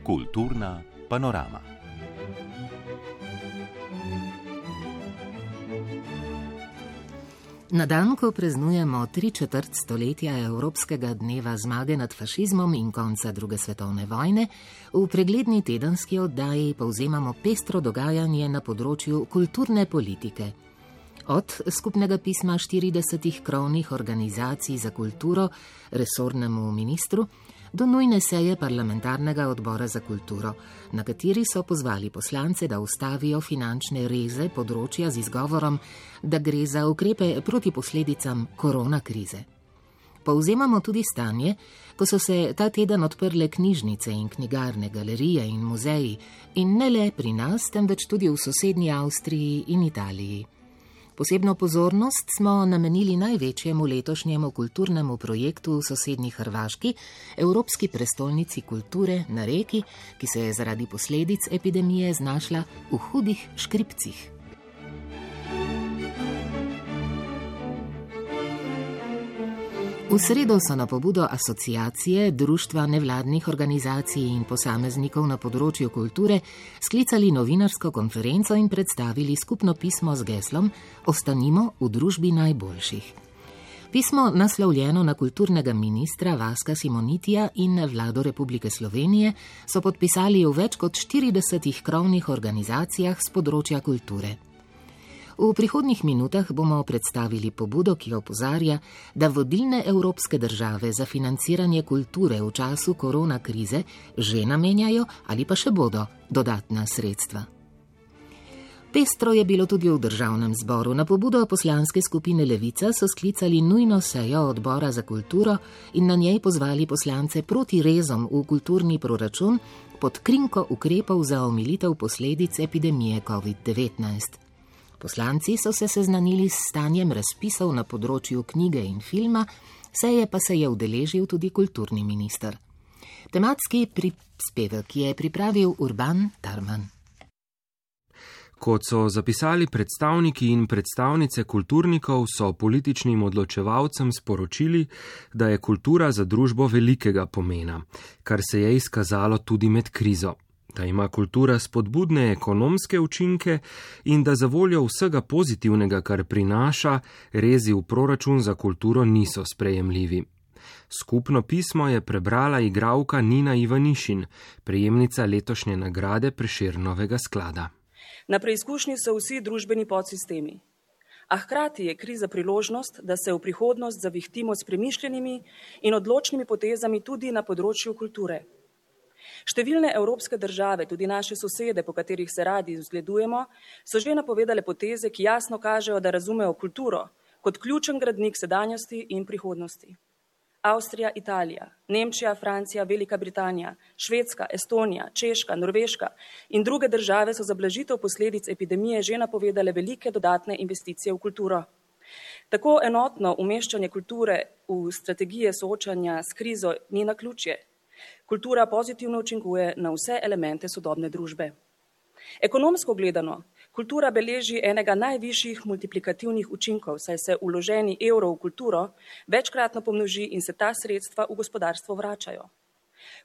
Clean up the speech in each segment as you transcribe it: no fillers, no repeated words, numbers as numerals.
Kulturna panorama. Na dan, ko praznujemo 3/4 stoletja Evropskega dneva zmage nad fašizmom in konca druge svetovne vojne, v pregledni tedenski oddaji povzemamo pestro dogajanje na področju kulturne politike. Od skupnega pisma 40 krovnih organizacij za kulturo resornemu ministru do nujne seje parlamentarnega odbora za kulturo, na kateri so pozvali poslance, da ustavijo finančne reze področja z izgovorom, da gre za ukrepe proti posledicam koronakrize. Povzemamo tudi stanje, ko so se ta teden odprle knjižnice in knjigarne, galerije in muzeji, in ne le pri nas, temveč tudi v sosednji Avstriji in Italiji. Posebno pozornost smo namenili največjemu letošnjemu kulturnemu projektu v sosednji Hrvaški, Evropski prestolnici kulture na Reki, ki se je zaradi posledic epidemije znašla v hudih škripcih. V sredo so na pobudo asociacije, društva nevladnih organizacij in posameznikov na področju kulture sklicali novinarsko konferenco in predstavili skupno pismo z geslom Ostanimo v družbi najboljših. Pismo, naslovljeno na kulturnega ministra Vaska Simonitija in vlado Republike Slovenije, so podpisali v več kot 40 krovnih organizacijah s področja kulture. V prihodnjih minutah bomo predstavili pobudo, ki opozarja, da vodilne evropske države za financiranje kulture v času koronakrize že namenjajo ali pa še bodo dodatna sredstva. Pestro je bilo tudi v državnem zboru. Na pobudo poslanske skupine Levica so sklicali nujno sejo odbora za kulturo in na njej pozvali poslance proti rezom v kulturni proračun pod krinko ukrepov za omilitev posledic epidemije COVID-19. Poslanci so se seznanili s stanjem razpisov na področju knjige in filma, seje pa se je udeležil tudi kulturni minister. Tematski prispevek je pripravil Urban Tarman. Kot so zapisali predstavniki in predstavnice kulturnikov, so političnim odločevalcem sporočili, da je kultura za družbo velikega pomena, kar se je izkazalo tudi med krizo. Da ima kultura spodbudne ekonomske učinke in da za voljo vsega pozitivnega, kar prinaša, rezi v proračun za kulturo niso sprejemljivi. Skupno pismo je prebrala igralka Nina Ivanišin, prejemnica letošnje nagrade Prešernovega sklada. Na preizkušnji so vsi družbeni podsistemi. A hkrati je kriza priložnost, da se v prihodnost zavihtimo s premišljenimi in odločnimi potezami tudi na področju kulture. Številne evropske države, tudi naše sosede, po katerih se radi zgledujemo, so že napovedale poteze, ki jasno kažejo, da razumejo kulturo kot ključen gradnik sedanjosti in prihodnosti. Avstrija, Italija, Nemčija, Francija, Velika Britanija, Švedska, Estonija, Češka, Norveška in druge države so za blažitev posledic epidemije že napovedale velike dodatne investicije v kulturo. Tako enotno umeščanje kulture v strategije soočanja s krizo ni naključje. Kultura pozitivno učinkuje na vse elemente sodobne družbe. Ekonomsko gledano, kultura beleži enega najvišjih multiplikativnih učinkov, saj se vloženi evro v kulturo večkratno pomnoži in se ta sredstva v gospodarstvo vračajo.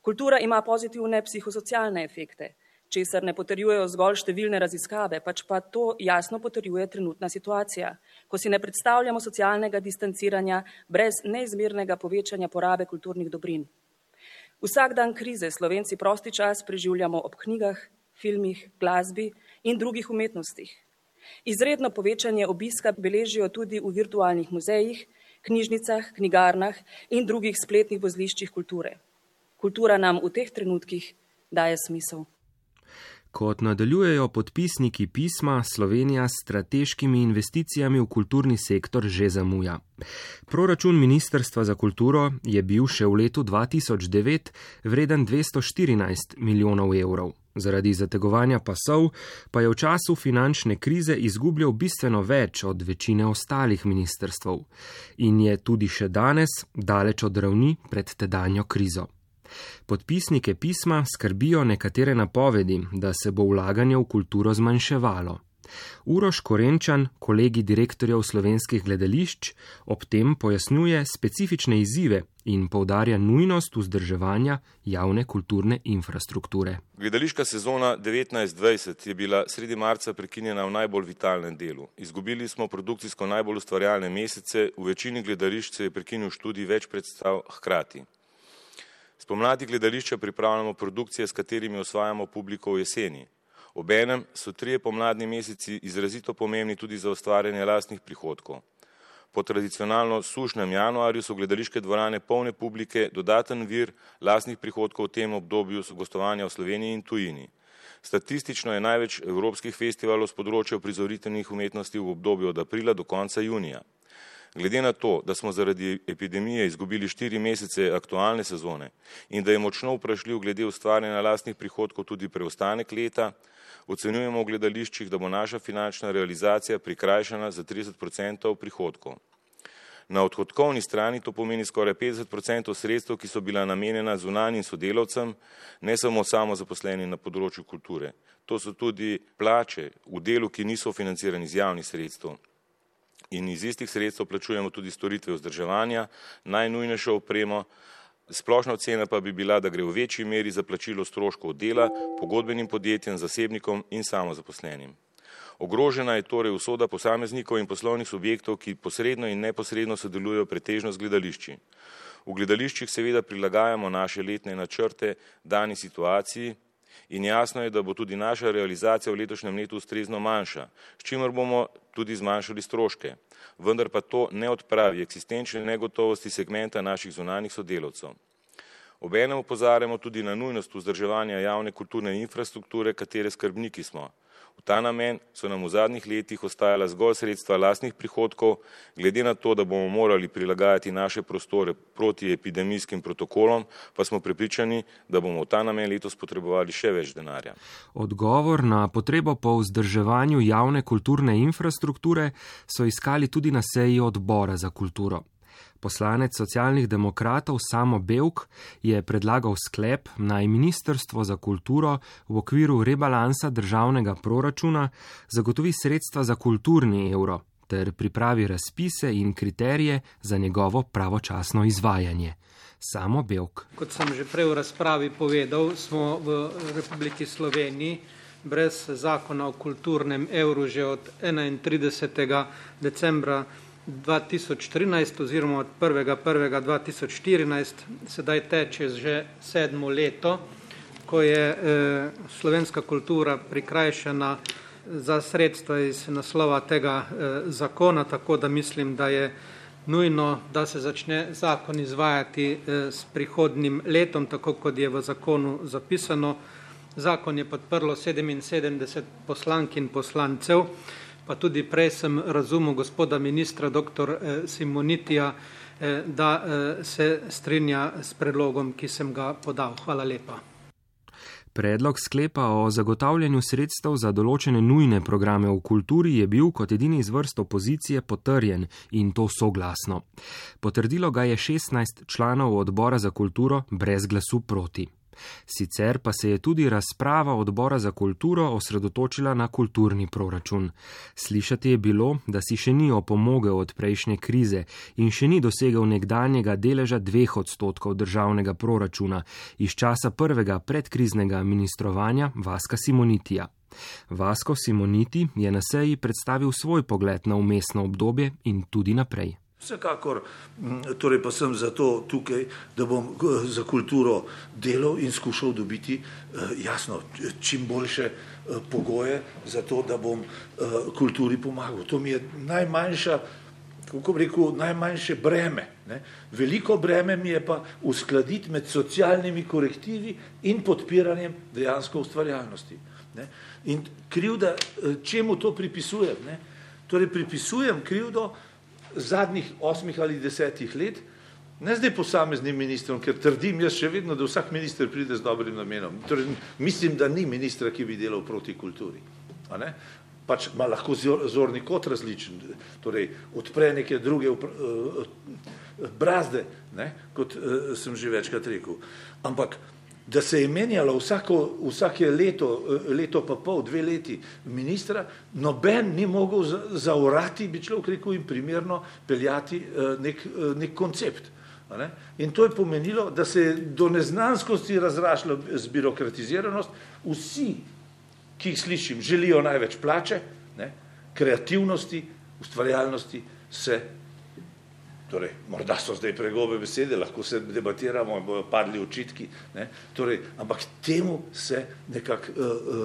Kultura ima pozitivne psihosocialne efekte, česar ne potrjujejo zgolj številne raziskave, pač pa to jasno potrjuje trenutna situacija, ko si ne predstavljamo socialnega distanciranja brez neizmernega povečanja porabe kulturnih dobrin. Vsak dan krize Slovenci prosti čas preživljamo ob knjigah, filmih, glasbi in drugih umetnostih. Izredno povečanje obiska beležijo tudi v virtualnih muzejih, knjižnicah, knjigarnah in drugih spletnih vozliščih kulture. Kultura nam v teh trenutkih daje smisel. Kot nadaljujejo podpisniki pisma, Slovenija s strateškimi investicijami v kulturni sektor že zamuja. Proračun Ministrstva za kulturo je bil še v letu 2009 vreden 214 milijonov evrov. Zaradi zategovanja pasov pa je v času finančne krize izgubljal bistveno več od večine ostalih ministrstv in je tudi še danes daleč od ravni pred tedanjo krizo. Podpisnike pisma skrbijo nekatere napovedi, da se bo vlaganje v kulturo zmanjševalo. Uroš Korenčan, kolegi direktorjev slovenskih gledališč, ob tem pojasnjuje specifične izzive in poudarja nujnost vzdrževanja javne kulturne infrastrukture. Gledališka sezona 19-20 je bila sredi marca prekinjena v najbolj vitalnem delu. Izgubili smo produkcijsko najbolj ustvarjalne mesece, v večini gledališč se je prekinil študij več predstav hkrati. Spomladi gledališča pripravljamo produkcije, s katerimi osvajamo publiko v jeseni. Obenem so 3 pomladni meseci izrazito pomembni tudi za ustvarjanje lastnih prihodkov. Po tradicionalno sušnem januarju so gledališke dvorane polne publike, dodaten vir lastnih prihodkov v tem obdobju so gostovanja v Sloveniji in tujini. Statistično je največ evropskih festivalov s področja uprizoriteljnih umetnosti v obdobju od aprila do konca junija. Glede na to, da smo zaradi epidemije izgubili 4 mesece aktualne sezone in da je močno vprašljiv glede ustvarjanja lastnih prihodkov tudi preostanek leta, ocenjujemo v gledališčih, da bo naša finančna realizacija prikrajšana za 30% prihodkov. Na odhodkovni strani to pomeni skoraj 50% sredstev, ki so bila namenjena zunanjim sodelavcem, ne samo samozaposlenim na področju kulture. To so tudi plače v delu, ki niso financirani iz javnih sredstev. In iz istih sredstev plačujemo tudi storitve vzdrževanja, najnujnejšo opremo. Splošna ocena pa bi bila, da gre v večji meri za plačilo stroškov dela, pogodbenim podjetjem, zasebnikom in samozaposlenim. Ogrožena je torej usoda posameznikov in poslovnih subjektov, ki posredno in neposredno sodelujejo pretežno z gledališči. V gledališčih seveda prilagajamo naše letne načrte dani situaciji in jasno je, da bo tudi naša realizacija v letošnjem letu ustrezno manjša, s čimer bomo tudi zmanjšali stroške. Vendar pa to ne odpravi eksistenčne negotovosti segmenta naših zunanjih sodelavcev. Obenem opozarjamo tudi na nujnost vzdrževanja javne kulturne infrastrukture, katere skrbniki smo. V ta namen so nam v zadnjih letih ostajala zgolj sredstva lastnih prihodkov, glede na to, da bomo morali prilagajati naše prostore proti epidemijskim protokolom, pa smo prepričani, da bomo v ta namen letos potrebovali še več denarja. Odgovor na potrebo po vzdrževanju javne kulturne infrastrukture so iskali tudi na seji odbora za kulturo. Poslanec socialnih demokratov Samo Bevk je predlagal sklep, naj Ministrstvo za kulturo v okviru rebalansa državnega proračuna zagotovi sredstva za kulturni evro ter pripravi razpise in kriterije za njegovo pravočasno izvajanje. Samo Bevk. Kot sem že prej v razpravi povedal, smo v Republiki Sloveniji brez zakona o kulturnem evru že od 31. decembra 2013 oziroma od 1.1.2014, sedaj teče že 7. leto, ko je slovenska kultura prikrajšana za sredstva iz naslova tega zakona, tako da mislim, da je nujno, da se začne zakon izvajati s prihodnjim letom, tako kot je v zakonu zapisano. Zakon je podprlo 77 poslank in poslancev, pa tudi prej sem razumel gospoda ministra dr. Simonitija, da se strinja s predlogom, ki sem ga podal. Hvala lepa. Predlog sklepa o zagotavljanju sredstev za določene nujne programe v kulturi je bil kot edini iz vrst opozicije potrjen in to soglasno. Potrdilo ga je 16 članov odbora za kulturo brez glasu proti. Sicer pa se je tudi razprava odbora za kulturo osredotočila na kulturni proračun. Slišati je bilo, da si še ni opomogel od prejšnje krize in še ni dosegel nekdanjega deleža 2% državnega proračuna iz časa prvega predkriznega ministrovanja Vaska Simonitija. Vasko Simoniti je na seji predstavil svoj pogled na vmesno obdobje in tudi naprej. Vsekakor, torej pa sem zato tukaj, da bom za kulturo delal in skušal dobiti jasno čim boljše pogoje za to, da bom kulturi pomagal. To mi je najmanjša, kako bi rekel, najmanjše breme. Ne? Veliko breme mi je pa uskladiti med socialnimi korektivi in podpiranjem dejansko ustvarjalnosti. Ne? In krivda, čemu to pripisujem? Ne? Torej pripisujem krivdo zadnjih 8 ali 10 let, ne zdaj posameznim ministrom, ker trdim jaz še vedno, da vsak minister pride z dobrim namenom. Torej, mislim, da ni ministra, ki bi delal proti kulturi. A ne? Pač ima lahko zorni kot različen, torej odpre neke druge brazde, ne? Kot sem že večkrat rekel. Ampak da se je menjalo vsake leto pa pol, 2 leti ministra, noben ni mogel zaorati, bi človek rekel, in primerno peljati nek koncept. In to je pomenilo, da se je do neznanskosti razrašla zbirokratiziranost. Vsi, ki jih slišim, želijo največ plače, kreativnosti, ustvarjalnosti se, torej, morda so zdaj pregobe besede, lahko se debatiramo in bojo padli očitki, torej, ampak temu se nekako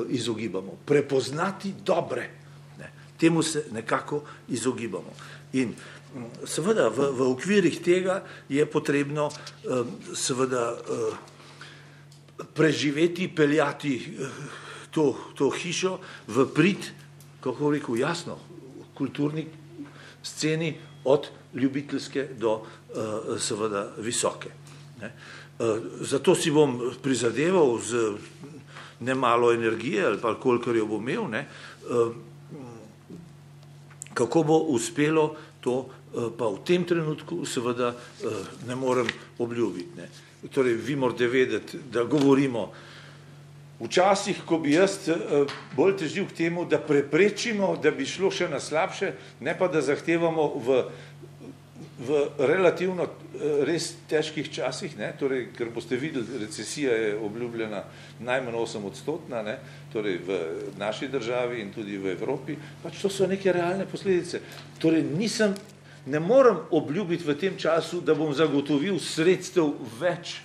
izogibamo. Prepoznati dobre, temu se nekako izogibamo. In seveda v okvirih tega je potrebno seveda preživeti, peljati to hišo v prid, kako rekel, jasno, kulturni sceni od ljubiteljske do seveda visoke. Zato si bom prizadeval z nemalo energije ali pa kolikor jo bom imel, kako bo uspelo to, pa v tem trenutku seveda ne morem obljubiti. Torej, vi morate vedeti, da govorimo včasih, ko bi jaz bolj težil k temu, da preprečimo, da bi šlo še na slabše, ne pa da zahtevamo v relativno res težkih časih, torej, ker boste videli, recesija je obljubljena najmanj 8%, torej v naši državi in tudi v Evropi, pač to so neke realne posledice. Torej, ne morem obljubiti v tem času, da bom zagotovil sredstev več,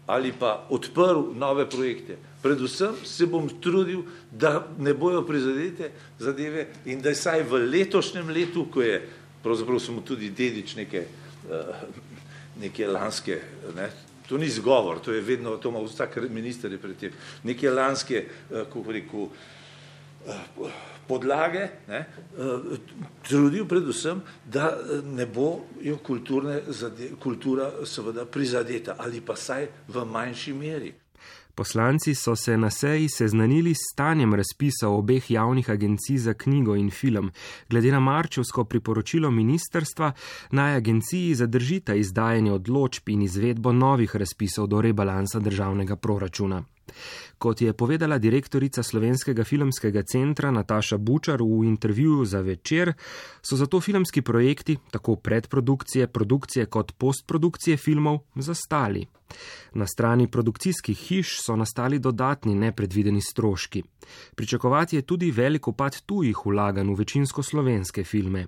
ali pa odprl nove projekte. Predvsem se bom trudil, da ne bojo prizadete zadeve in da saj v letošnjem letu, ko je, pravzaprav smo tudi dedič neke lanske, to ni zgovor, to je vedno, to ima vsak minister je pred tem, neke lanske, kako rekel, podlage, trudil predvsem, da ne bo kultura seveda prizadeta ali pa saj v manjši meri. Poslanci so se na seji seznanili s stanjem razpisov obeh javnih agencij za knjigo in film. Glede na marčevsko priporočilo ministrstva, naj agenciji zadržita izdajanje odločb in izvedbo novih razpisov do rebalansa državnega proračuna. Kot je povedala direktorica Slovenskega filmskega centra Nataša Bučar v intervjuju za Večer, so zato filmski projekti, tako predprodukcije, produkcije kot postprodukcije filmov, zastali. Na strani produkcijskih hiš so nastali dodatni nepredvideni stroški. Pričakovati je tudi velik upad tujih vlaganj v večinsko slovenske filme.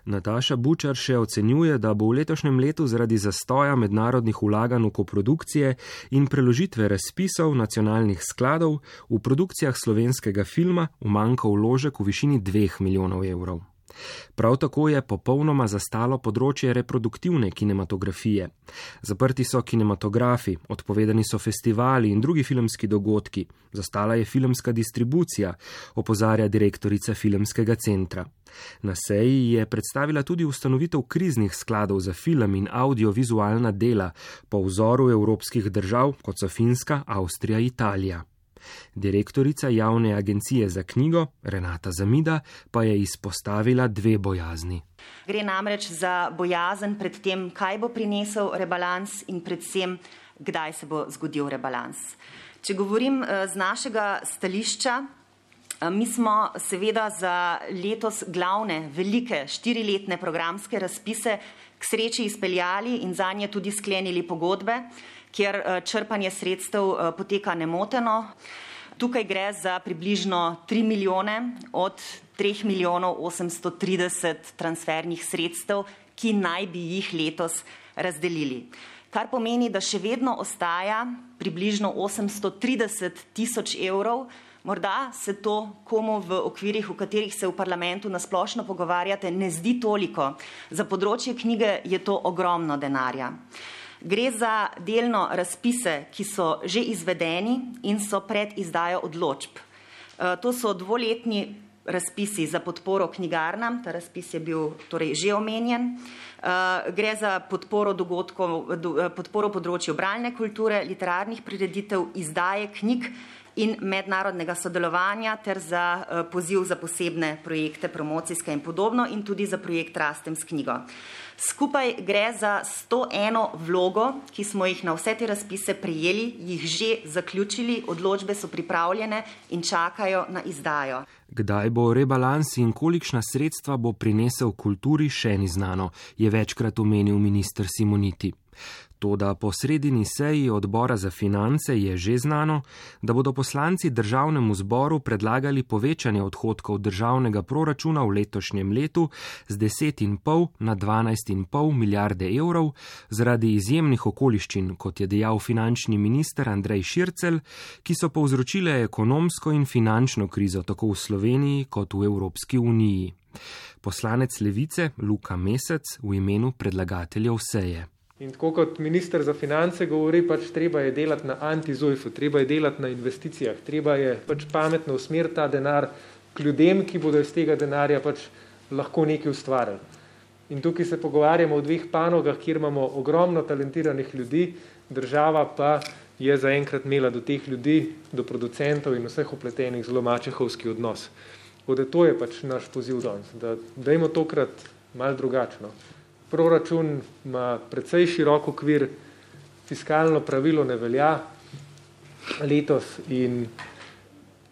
Nataša Bučar še ocenjuje, da bo v letošnjem letu zaradi zastoja mednarodnih vlaganj v koprodukcije in preložitve razpisov nacionalnih skladov v produkcijah slovenskega filma umanjkal vložek v višini 2 milijonov evrov. Prav tako je popolnoma zastalo področje reproduktivne kinematografije. Zaprti so kinematografi, odpovedani so festivali in drugi filmski dogodki, zastala je filmska distribucija, opozarja direktorica filmskega centra. Na seji je predstavila tudi ustanovitev kriznih skladov za film in audiovizualna dela po vzoru evropskih držav, kot so Finska, Avstrija, Italija. Direktorica javne agencije za knjigo, Renata Zamida, pa je izpostavila 2 bojazni. Gre namreč za bojazen pred tem, kaj bo prinesel rebalans in predvsem, kdaj se bo zgodil rebalans. Če govorim z našega stališča, mi smo seveda za letos glavne, velike, 4-letne programske razpise k sreči izpeljali in zanje tudi sklenili pogodbe, kjer črpanje sredstev poteka nemoteno. Tukaj gre za približno 3 milijone od 3 milijonov 830 transfernih sredstev, ki naj bi jih letos razdelili. Kar pomeni, da še vedno ostaja približno 830 tisoč evrov. Morda se to komu v okvirih, v katerih se v parlamentu nasplošno pogovarjate, ne zdi toliko. Za področje knjige je to ogromno denarja. Gre za delno razpise, ki so že izvedeni in so pred izdajo odločb. To so 2-letni razpisi za podporo knjigarnam, ta razpis je bil torej že omenjen. Gre za podporo področju bralne kulture, literarnih prireditev, izdaje knjig in mednarodnega sodelovanja ter za poziv za posebne projekte, promocijske in podobno in tudi za projekt Rastem s knjigo. Skupaj gre za 101 vlogo, ki smo jih na vse te razpise prijeli, jih že zaključili, odločbe so pripravljene in čakajo na izdajo. Kdaj bo rebalans in kolikšna sredstva bo prinesel kulturi, še ni znano, je večkrat omenil minister Simoniti. Toda po sredini seji odbora za finance je že znano, da bodo poslanci državnemu zboru predlagali povečanje odhodkov državnega proračuna v letošnjem letu z 10,5 na 12,5 milijarde evrov zaradi izjemnih okoliščin, kot je dejal finančni minister Andrej Šircelj, ki so povzročile ekonomsko in finančno krizo tako v Sloveniji kot v Evropski uniji. Poslanec Levice Luka Mesec v imenu predlagateljev seje. In tako kot minister za finance govori, treba je delati na anti-Zujfu, treba je delati na investicijah, treba je pametno usmeriti ta denar k ljudem, ki bodo iz tega denarja lahko nekaj ustvarili. In tukaj se pogovarjamo o dveh panogah, kjer imamo ogromno talentiranih ljudi, država pa je zaenkrat imela do teh ljudi, do producentov in vseh upletenih zelo mačehovski odnos. Da to je naš poziv danes, da dajmo tokrat malo drugačno. Proračun ima precej širok okvir, fiskalno pravilo ne velja letos in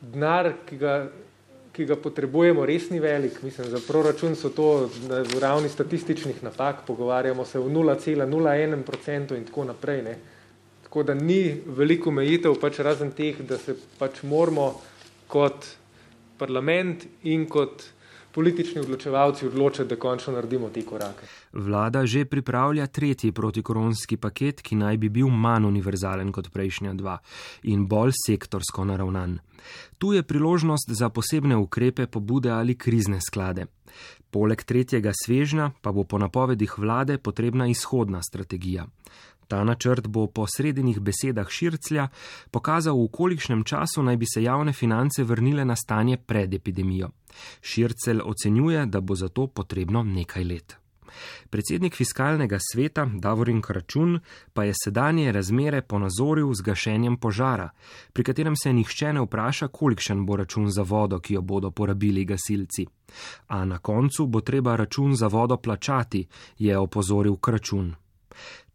denar, ki ga potrebujemo, res ni velik. Mislim, za proračun so to v ravni statističnih napak, pogovarjamo se v 0,01% in tako naprej. Ne. Tako da ni veliko omejitev, razen teh, da se moramo kot parlament in kot politični odločevalci odločati, da končno naredimo te korake. Vlada že pripravlja 3. protikoronski paket, ki naj bi bil manj univerzalen kot prejšnja 2 in bolj sektorsko naravnan. Tu je priložnost za posebne ukrepe, pobude ali krizne sklade. Poleg 3. svežnja pa bo po napovedih vlade potrebna izhodna strategija. Ta načrt bo po sredinih besedah Širclja pokazal, v kolikšnem času naj bi se javne finance vrnile na stanje pred epidemijo. Šircelj ocenjuje, da bo za to potrebno nekaj let. Predsednik fiskalnega sveta Davorin Kračun pa je sedanje razmere ponazoril z gašenjem požara, pri katerem se nihče ne vpraša, kolikšen bo račun za vodo, ki jo bodo porabili gasilci. A na koncu bo treba račun za vodo plačati, je opozoril Kračun.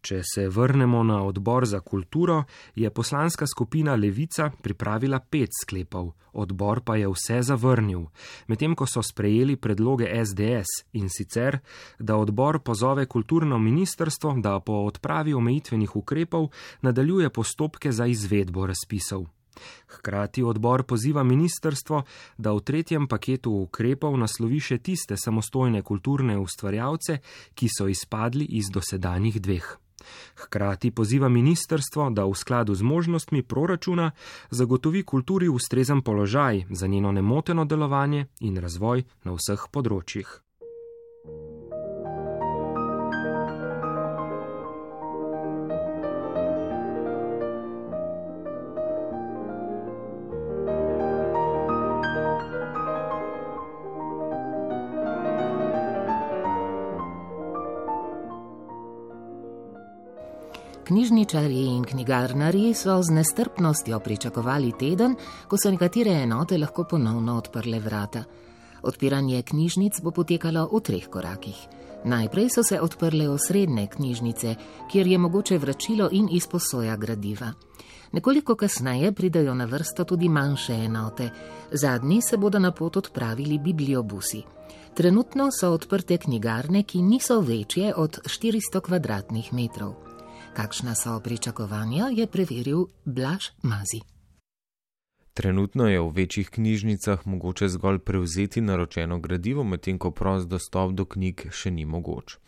Če se vrnemo na odbor za kulturo, je poslanska skupina Levica pripravila 5 sklepov, odbor pa je vse zavrnil, medtem ko so sprejeli predloge SDS in sicer, da odbor pozove kulturno ministrstvo, da po odpravi omejitvenih ukrepov nadaljuje postopke za izvedbo razpisov. Hkrati odbor poziva ministrstvo, da v 3. paketu ukrepov naslovi še tiste samostojne kulturne ustvarjalce, ki so izpadli iz dosedanjih 2. Hkrati poziva ministrstvo, da v skladu z možnostmi proračuna zagotovi kulturi ustrezen položaj za njeno nemoteno delovanje in razvoj na vseh področjih. Knjižničarji in knjigarnarji so z nestrpnostjo pričakovali teden, ko so nekatere enote lahko ponovno odprle vrata. Odpiranje knjižnic bo potekalo v 3 korakih. Najprej so se odprle osrednje knjižnice, kjer je mogoče vračilo in izposoja gradiva. Nekoliko kasneje pridejo na vrsto tudi manjše enote. Zadnji se bodo na pot odpravili bibliobusi. Trenutno so odprte knjigarne, ki niso večje od 400 kvadratnih metrov. Kakšna so pričakovanja, je preveril Blaž Mazi. Trenutno je v večjih knjižnicah mogoče zgolj prevzeti naročeno gradivo, medtem ko prost dostop do knjig še ni mogoč.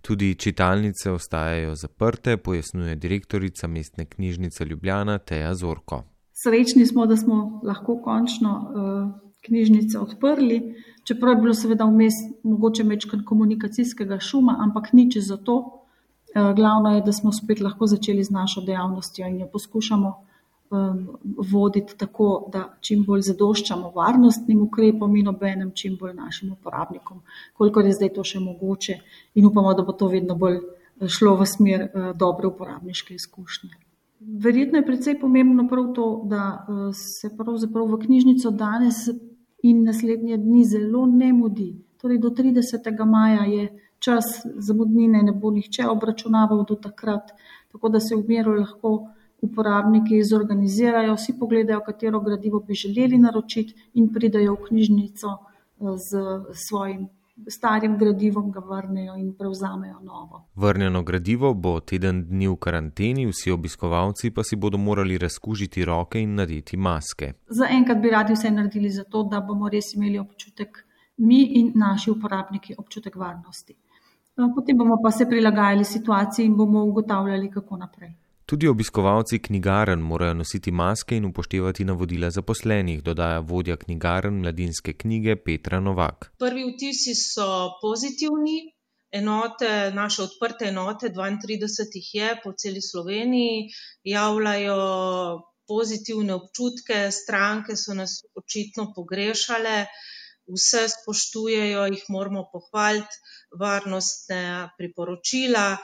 Tudi čitalnice ostajajo zaprte, pojasnjuje direktorica Mestne knjižnice Ljubljana Teja Zorko. Srečni smo, da smo lahko končno knjižnice odprli, čeprav je bilo seveda vmes mogoče mečkan komunikacijskega šuma, ampak nič za to. Glavno je, da smo spet lahko začeli z našo dejavnostjo in jo poskušamo voditi tako, da čim bolj zadoščamo varnostnim ukrepom in obenem čim bolj našim uporabnikom, kolikor je zdaj to še mogoče in upamo, da bo to vedno bolj šlo v smer dobre uporabniške izkušnje. Verjetno je precej pomembno prav to, da se pravzaprav v knjižnico danes in naslednje dni zelo ne mudi. Torej do 30. maja je čas, zamudnine ne bo nihče obračunaval do takrat, tako da se v miru lahko uporabniki zorganizirajo, vsi pogledajo, katero gradivo bi želeli naročiti in pridajo v knjižnico z svojim starim gradivom, ga vrnejo in prevzamejo novo. Vrnjeno gradivo bo teden dni v karanteni, vsi obiskovalci pa si bodo morali razkužiti roke in nadeti maske. Zaenkrat bi radi vse naredili za to, da bomo res imeli občutek, mi in naši uporabniki, občutek varnosti. Potem bomo pa se prilagajali situaciji in bomo ugotavljali, kako naprej. Tudi obiskovalci knjigarn morajo nositi maske in upoštevati navodila zaposlenih, dodaja vodja knjigarn Mladinske knjige Petra Novak. Prvi vtisi so pozitivni. Naše odprte enote, 32 jih je po celi Sloveniji, javljajo pozitivne občutke, stranke so nas očitno pogrešale, vse spoštujejo, jih moramo pohvaliti, varnostne priporočila,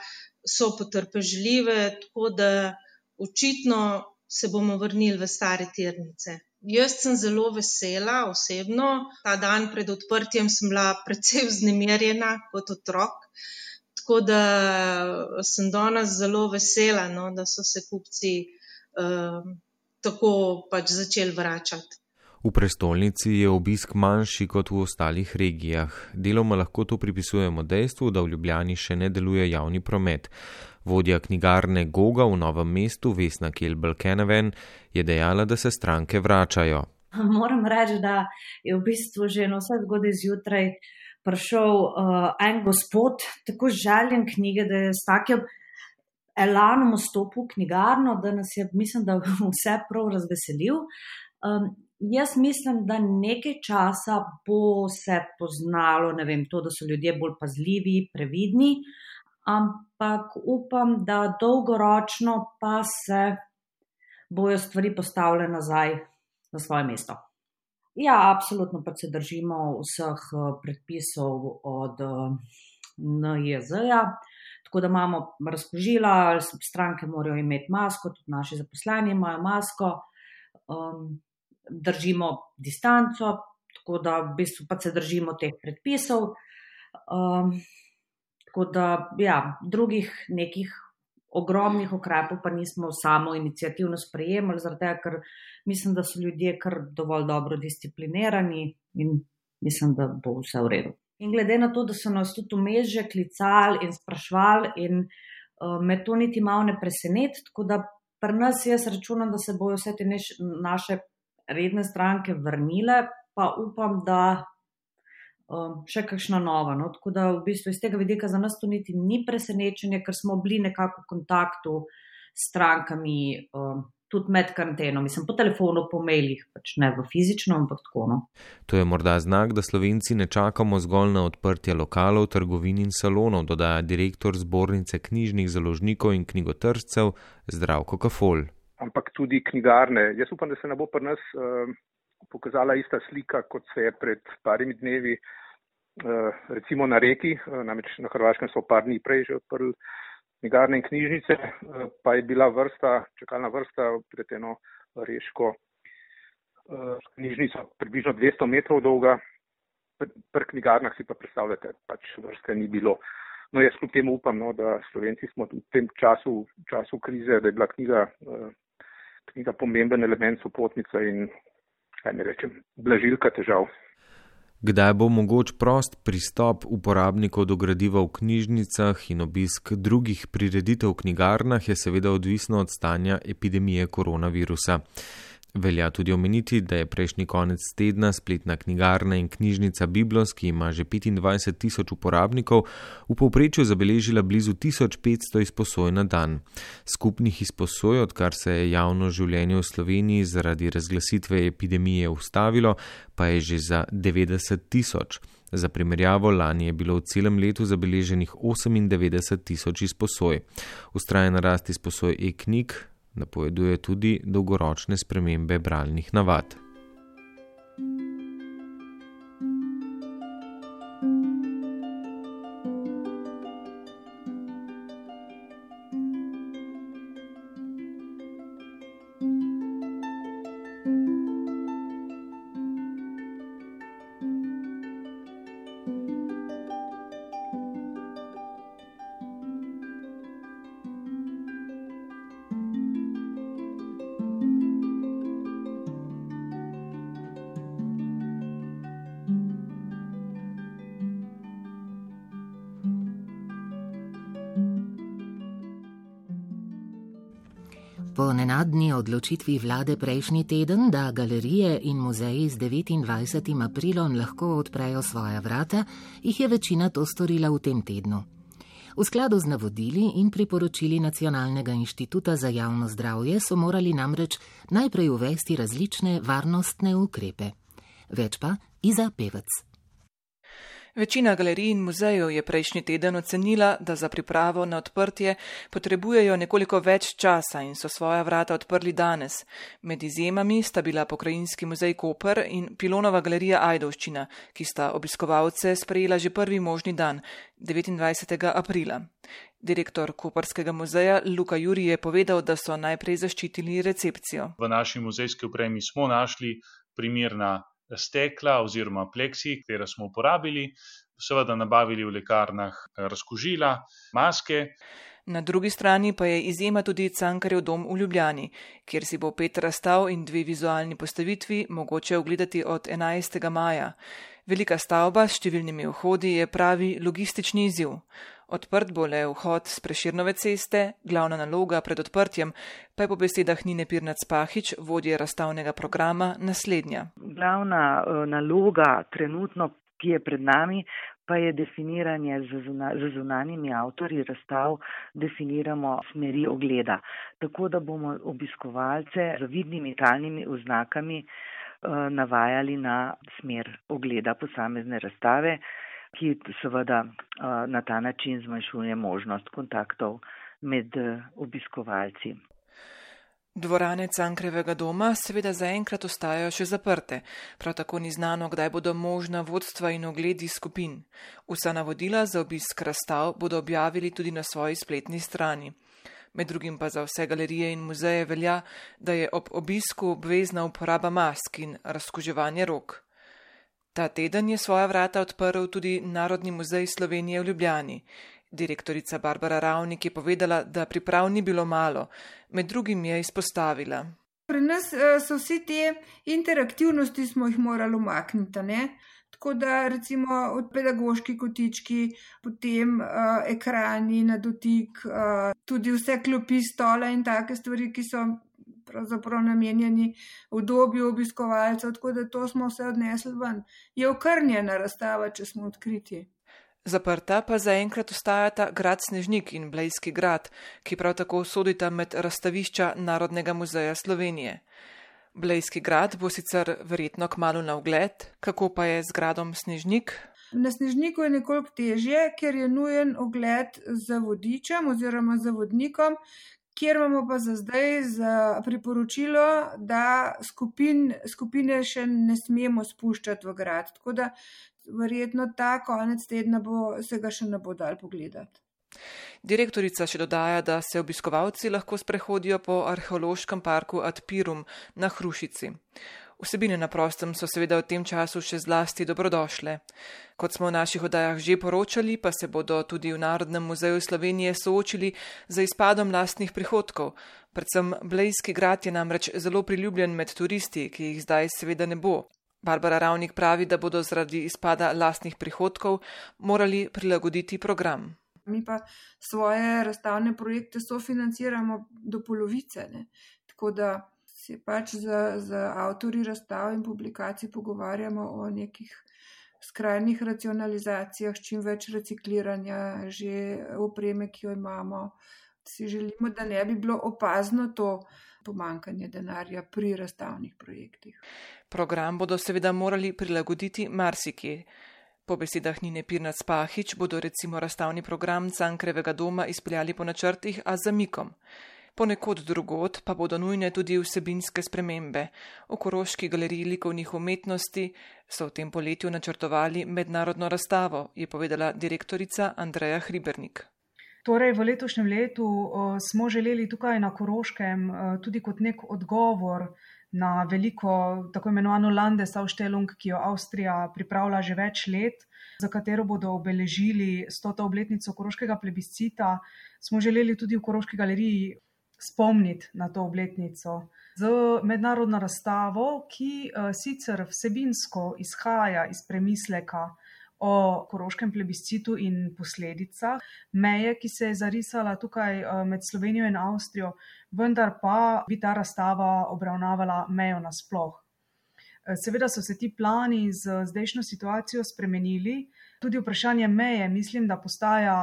so potrpežljive, tako da očitno se bomo vrnili v stare tirnice. Jaz sem zelo vesela osebno. Ta dan pred odprtjem sem bila precej vznemirjena kot otrok, tako da sem danes zelo vesela, da so se kupci tako začeli vračati. V prestolnici je obisk manjši kot v ostalih regijah. Deloma lahko to pripisujemo dejstvu, da v Ljubljani še ne deluje javni promet. Vodja knjigarne Goga v Novem mestu, Vesna Kelbel-Keneven, je dejala, da se stranke vračajo. Moram reči, da je v bistvu že na vse zgodaj zjutraj prišel en gospod, tako željen knjige, da je s takim elanom vstopil v knjigarno, da nas je, mislim, da vse prav razveselil. Jaz mislim, da nekaj časa bo se poznalo, to, da so ljudje bolj pazljivi, previdni, ampak upam, da dolgoročno pa se bojo stvari postavile nazaj na svoje mesto. Ja, absolutno pa se držimo vseh predpisov od NIJZ-ja, tako da imamo razkužila, stranke morajo imeti masko, tudi naši zaposleni imajo masko, držimo distanco, tako da v bistvu pa se držimo teh predpisov. Tako da, drugih nekih ogromnih ukrepov pa nismo samo iniciativno sprejemali, zaradi tega, ker mislim, da so ljudje kar dovolj dobro disciplinirani in mislim, da bo vse v redu. In glede na to, da so nas tudi vmes že klicali in sprašvali in me to niti malo ne preseneti, tako da pri nas jaz računam, da se bojo vse te naše redne stranke vrnile, pa upam, da še kakšna nova. Tako da v bistvu iz tega vidika za nas to niti ni presenečenje, ker smo bili nekako v kontaktu s strankami tudi med karanteno. Mislim, po telefonu, po mailih, pač ne v fizično, ampak tako. To je morda znak, da Slovenci ne čakamo zgolj na odprtje lokalov, trgovin in salonov, dodaja direktor Zbornice knjižnih založnikov in knjigotržcev Zdravko Kafol. Ampak tudi knjigarne. Jaz upam, da se ne bo pri nas pokazala ista slika, kot se je pred parimi dnevi, recimo na Reki, namreč na Hrvaškem so par dni prej že odprli knjigarne in knjižnice, pa je bila čakalna vrsta pred eno reško knjižnico približno 200 metrov dolga. Pri knjigarnah si pa predstavljate, pač vrste ni bilo. No, jaz kljub temu upam, da Slovenci smo v tem času krize, da je bila knjiga pomemben element, sopotnica in, blažilka težav. Kdaj bo mogoč prost pristop uporabnikov do gradiva v knjižnicah in obisk drugih prireditev v knjigarnah, je seveda odvisno od stanja epidemije koronavirusa. Velja tudi omeniti, da je prejšnji konec tedna spletna knjigarna in knjižnica Biblos, ki ima že 25.000 uporabnikov, v povprečju zabeležila blizu 1500 izposoj na dan. Skupnih izposoj, odkar se je javno življenje v Sloveniji zaradi razglasitve epidemije ustavilo, pa je že za 90.000. Za primerjavo, lani je bilo v celem letu zabeleženih 98.000 izposoj. Vztrajna rast izposoj e-knjig napoveduje tudi dolgoročne spremembe bralnih navad. Po nenadni odločitvi vlade prejšnji teden, da galerije in muzeji z 29. aprilom lahko odprejo svoja vrata, jih je večina to storila v tem tednu. V skladu z navodili in priporočili Nacionalnega inštituta za javno zdravje so morali namreč najprej uvesti različne varnostne ukrepe. Več pa Iza Pevec. Večina galerij in muzejev je prejšnji teden ocenila, da za pripravo na odprtje potrebujejo nekoliko več časa in so svoja vrata odprli danes. Med izjemami sta bila Pokrajinski muzej Koper in Pilonova galerija Ajdovščina, ki sta obiskovalce sprejela že prvi možni dan, 29. aprila. Direktor Koperskega muzeja Luka Juri je povedal, da so najprej zaščitili recepcijo. V naši muzejski opremi smo našli primerna stekla oziroma pleksi, katera smo uporabili, seveda nabavili v lekarnah razkužila, maske. Na drugi strani pa je izjema tudi Cankarjev dom v Ljubljani, kjer si bo 5 razstav in 2 vizualni postavitvi mogoče ogledati od 11. maja. Velika stavba s številnimi vhodi je pravi logistični izziv. Odprt bo le vhod s Prešernove ceste, glavna naloga pred odprtjem pa je po besedah Nine Pirnat-Spahić, vodje razstavnega programa, naslednja. Glavna naloga trenutno, ki je pred nami, pa je definiranje z zunanjimi avtorji razstav, definiramo smeri ogleda. Tako da bomo obiskovalce z vidnimi talnimi oznakami navajali na smer ogleda posamezne razstave, ki seveda na ta način zmanjšuje možnost kontaktov med obiskovalci. Dvorane Cankarjevega doma seveda zaenkrat ostajajo še zaprte, prav tako ni znano, kdaj bodo možna vodstva in ogledi skupin. Vsa navodila za obisk razstav bodo objavili tudi na svoji spletni strani. Med drugim pa za vse galerije in muzeje velja, da je ob obisku obvezna uporaba mask in razkuževanje rok. Ta teden je svoja vrata odprl tudi Narodni muzej Slovenije v Ljubljani. Direktorica Barbara Ravnik je povedala, da priprav ni bilo malo, med drugim je izpostavila. Pri nas so vsi te interaktivnosti smo jih morali umakniti, ne? Tako da recimo od pedagoški kotički, potem ekrani na dotik, tudi vse klopi, stola in take stvari, ki so pravzaprav namenjeni udobju obiskovalcev, tako da to smo vse odnesli ven. Je okrnjena razstava, če smo odkriti. Zaprta pa zaenkrat ostajata Grad Snežnik in Blejski grad, ki prav tako sodita med razstavišča Narodnega muzeja Slovenije. Blejski grad bo sicer verjetno kmalu na ogled, kako pa je z gradom Snežnik? Na Snežniku je nekoliko težje, ker je nujen ogled za vodičem oziroma za vodnikom, kjer imamo pa za zdaj za priporočilo, da skupine še ne smemo spuščati v grad. Tako da verjetno ta konec tedna se ga še ne bo dal pogledati. Direktorica še dodaja, da se obiskovalci lahko sprehodijo po arheološkem parku Ad Pirum na Hrušici. Vsebine na prostem so seveda v tem času še zlasti dobrodošle. Kot smo v naših oddajah že poročali, pa se bodo tudi v Narodnem muzeju Slovenije soočili z izpadom lastnih prihodkov. Predvsem Blejski grad je namreč zelo priljubljen med turisti, ki jih zdaj seveda ne bo. Barbara Ravnik pravi, da bodo zaradi izpada lastnih prihodkov morali prilagoditi program. Mi pa svoje razstavne projekte sofinanciramo do polovice, ne? Tako da se pač z avtorji razstav in publikacij pogovarjamo o nekih skrajnih racionalizacijah, s čim več recikliranja že opreme, ki jo imamo. Si želimo, da ne bi bilo opazno to pomanjkanje denarja pri razstavnih projektih. Program bodo seveda morali prilagoditi marsikje. Po besedah Nine Pirnat-Spahić bodo recimo razstavni program Cankarjevega doma izpeljali po načrtih, a z zamikom. Ponekod drugod pa bodo nujne tudi vsebinske spremembe. V Koroški galeriji likovnih umetnosti so v tem poletju načrtovali mednarodno razstavo, je povedala direktorica Andreja Hribernik. Torej, v letošnjem letu smo želeli tukaj na Koroškem tudi kot nek odgovor na veliko tako imenovano Landesausstellung, ki jo Avstrija pripravlja že več let, za katero bodo obeležili 100. obletnico Koroškega plebiscita. Smo želeli tudi v Koroški galeriji spomniti na to obletnico z mednarodno razstavo, ki sicer vsebinsko izhaja iz premisleka o koroškem plebiscitu in posledicah meje, ki se je zarisala tukaj med Slovenijo in Avstrijo, vendar pa bi ta razstava obravnavala mejo nasploh. Seveda so se ti plani z zdajšnjo situacijo spremenili. Tudi vprašanje meje mislim, da postaja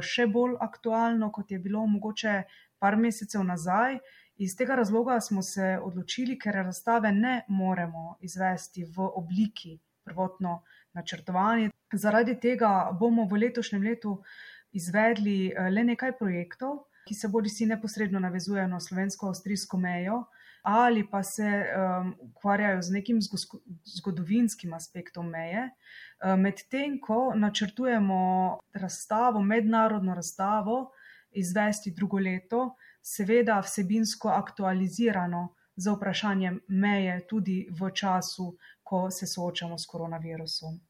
še bolj aktualno, kot je bilo mogoče par mesecev nazaj. Iz tega razloga smo se odločili, ker razstave ne moremo izvesti v obliki prvotno načrtovanje. Zaradi tega bomo v letošnjem letu izvedli le nekaj projektov, ki se bodisi neposredno navezujejo na slovensko-avstrijsko mejo ali pa se ukvarjajo z nekim zgodovinskim aspektom meje. Medtem ko načrtujemo razstavo, mednarodno razstavo, izvesti drugo leto, seveda vsebinsko aktualizirano za vprašanjem meje tudi v času, ko se soočamo s koronavirusom.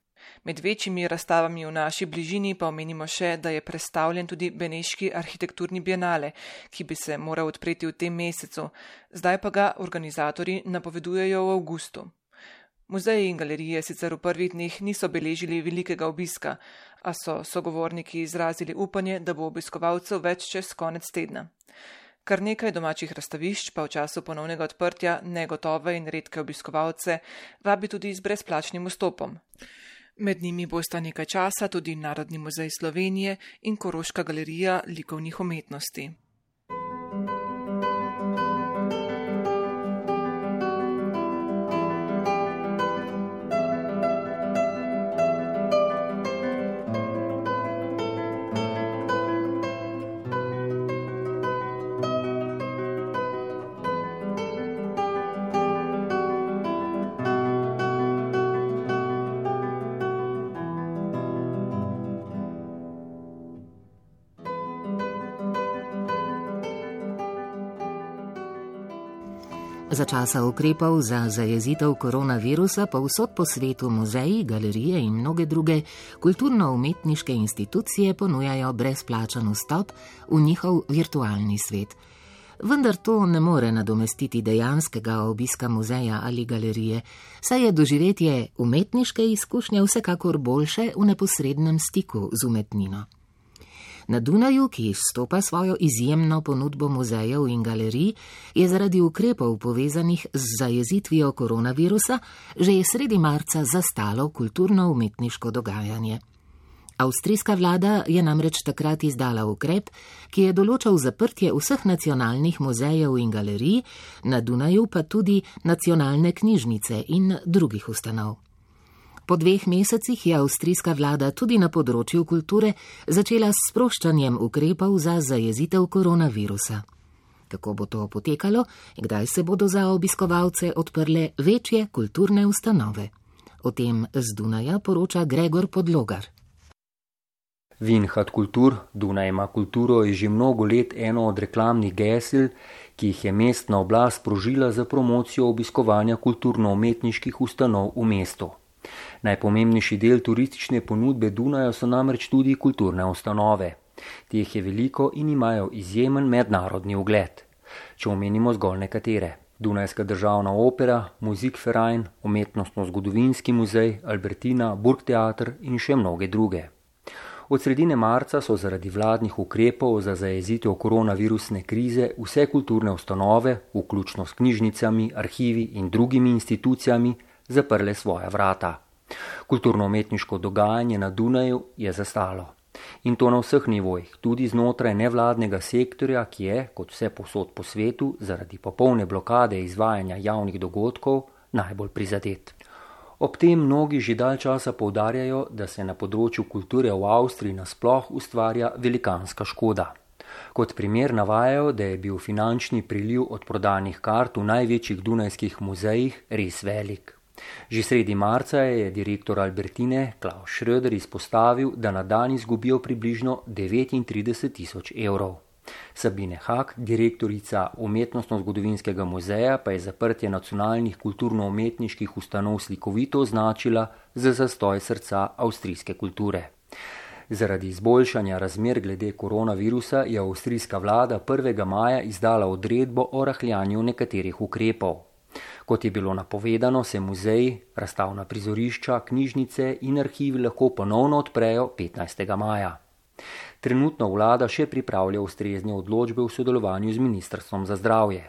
Med večjimi razstavami v naši bližini pa omenimo še, da je predstavljen tudi Beneški arhitekturni bienale, ki bi se moral odpreti v tem mesecu. Zdaj pa ga organizatorji napovedujejo v avgustu. Muzeji in galerije sicer v prvih dneh niso beležili velikega obiska, a so sogovorniki izrazili upanje, da bo obiskovalcev več čez konec tedna. Kar nekaj domačih razstavišč pa v času ponovnega odprtja negotove in redke obiskovalce vabi tudi z brezplačnim vstopom. Med njimi bosta nekaj časa tudi Narodni muzej Slovenije in Koroška galerija likovnih umetnosti. Za časa ukrepov za zajezitev koronavirusa pa vsod po svetu muzeji, galerije in mnoge druge kulturno-umetniške institucije ponujajo brezplačen vstop v njihov virtualni svet. Vendar to ne more nadomestiti dejanskega obiska muzeja ali galerije, saj je doživetje umetniške izkušnje vsekakor boljše v neposrednem stiku z umetnino. Na Dunaju, ki izstopa svojo izjemno ponudbo muzejev in galerij, je zaradi ukrepov povezanih z zajezitvijo koronavirusa že sredi marca zastalo kulturno-umetniško dogajanje. Avstrijska vlada je namreč takrat izdala ukrep, ki je določal zaprtje vseh nacionalnih muzejev in galerij, na Dunaju pa tudi nacionalne knjižnice in drugih ustanov. Po 2 mesecih je avstrijska vlada tudi na področju kulture začela s sproščanjem ukrepov za zajezitev koronavirusa. Kako bo to potekalo in kdaj se bodo za obiskovalce odprle večje kulturne ustanove? O tem z Dunaja poroča Gregor Podlogar. Vinhad Kultur, Dunaj ima kulturo, je že mnogo let eno od reklamnih gesel, ki jih je mestna oblast sprožila za promocijo obiskovanja kulturno-umetniških ustanov v mestu. Najpomembnejši del turistične ponudbe Dunaja so namreč tudi kulturne ustanove. Teh je veliko in imajo izjemen mednarodni ugled. Če omenimo zgolj nekatere: Dunajska državna opera, Musikverein, Umetnostno-zgodovinski muzej, Albertina, Burgtheater in še mnoge druge. Od sredine marca so zaradi vladnih ukrepov za zajezitev koronavirusne krize vse kulturne ustanove, vključno s knjižnicami, arhivi in drugimi institucijami, zaprle svoja vrata. Kulturno-umetniško dogajanje na Dunaju je zastalo. In to na vseh nivojih, tudi znotraj nevladnega sektorja, ki je, kot vse povsod po svetu, zaradi popolne blokade izvajanja javnih dogodkov najbolj prizadet. Ob tem mnogi že dalj časa poudarjajo, da se na področju kulture v Avstriji nasploh ustvarja velikanska škoda. Kot primer navajajo, da je bil finančni priliv od prodanih kart v največjih dunajskih muzejih res velik. Že sredi marca je direktor Albertine Klaus Schröder izpostavil, da na dan izgubijo približno 39 000 evrov. Sabine Hak, direktorica Umetnostno-zgodovinskega muzeja, pa je zaprtje nacionalnih kulturno-umetniških ustanov slikovito označila za zastoj srca avstrijske kulture. Zaradi izboljšanja razmer glede koronavirusa je avstrijska vlada 1. maja izdala odredbo o rahljanju nekaterih ukrepov. Kot je bilo napovedano, se muzeji, razstavna prizorišča, knjižnice in arhivi lahko ponovno odprejo 15. maja. Trenutno vlada še pripravlja ustrezne odločbe v sodelovanju z Ministrstvom za zdravje.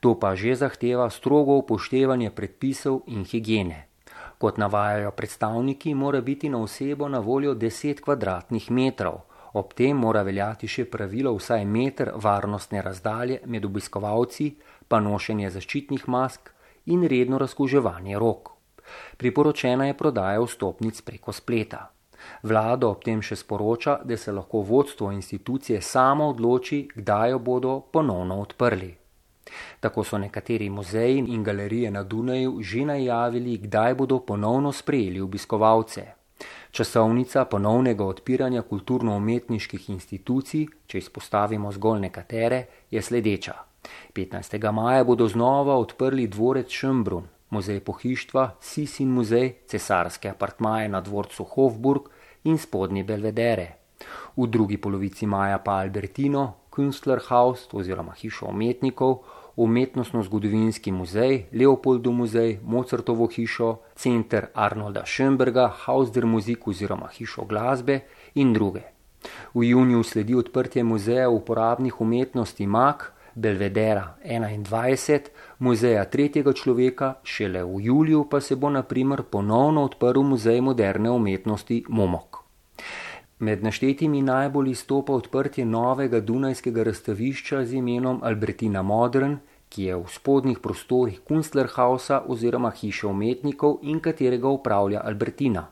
To pa že zahteva strogo upoštevanje predpisov in higiene. Kot navajajo predstavniki, mora biti na osebo na voljo 10 kvadratnih metrov. Ob tem mora veljati še pravilo vsaj meter varnostne razdalje med obiskovalci, pa nošenje zaščitnih mask in redno razkuževanje rok. Priporočena je prodaja vstopnic preko spleta. Vlada ob tem še sporoča, da se lahko vodstvo institucije samo odloči, kdaj jo bodo ponovno odprli. Tako so nekateri muzeji in galerije na Dunaju že najavili, kdaj bodo ponovno sprejeli obiskovalce. Časovnica ponovnega odpiranja kulturno-umetniških institucij, če izpostavimo zgolj nekatere, je sledeča. 15. maja bodo znova odprli dvorec Schönbrunn, muzej pohištva, Sisin muzej, cesarske apartmaje na dvorcu Hofburg in spodnji Belvedere. V drugi polovici maja pa Albertino, Künstlerhaus oziroma hišo umetnikov, umetnostno-zgodovinski muzej, Leopoldov muzej, Mozartovo hišo, center Arnolda Schönberga, Haus der Musik oziroma hišo glasbe in druge. V juniju sledi odprtje muzeja uporabnih umetnosti MAK, Belvedera 21, muzeja tretjega človeka, šele v juliju pa se bo na primer ponovno odprl muzej moderne umetnosti Momok. Med naštetimi najbolj izstopa odprtje novega dunajskega razstavišča z imenom Albertina Modern, ki je v spodnjih prostorih Künstlerhausa oziroma hiše umetnikov in katerega upravlja Albertina.